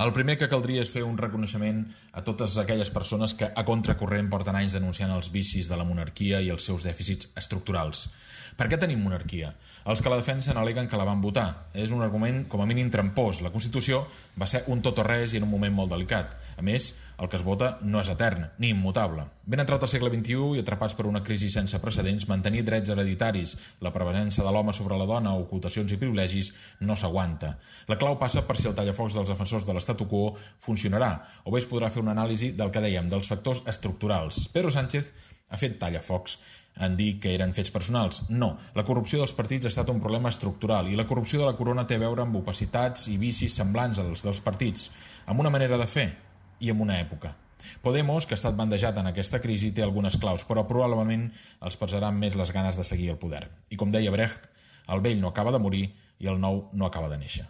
El primer que caldria és fer un reconeixement a totes aquelles persones que a contracorrent porten anys denunciant els vicis de la monarquia i els seus dèficits estructurals. Per què tenim monarquia? Els que la defensen aleguen que la van votar. És un argument com a mínim trampós. La Constitució va ser un tot o res i en un moment molt delicat. A més, el que es vota no és etern, ni immutable. Ben entrat al segle XXI i atrapats per una crisi sense precedents, mantenir drets hereditaris, la prevalença de l'home sobre la dona, ocultacions i privilegis, no s'aguanta. La clau passa per si el tallafocs dels defensors de l'statu quo funcionarà, o bé es podrà fer una anàlisi del que dèiem, dels factors estructurals. Pedro Sánchez ha fet tallafocs en dir que eren fets personals. No, la corrupció dels partits ha estat un problema estructural i la corrupció de la corona té a veure amb opacitats i vicis semblants als dels partits, amb una manera de fer i amb una època. Podemos, que ha estat bandejat en aquesta crisi, té algunes claus, però probablement els pesaran més les ganes de seguir el poder. I com deia Brecht, el vell no acaba de morir i el nou no acaba de néixer.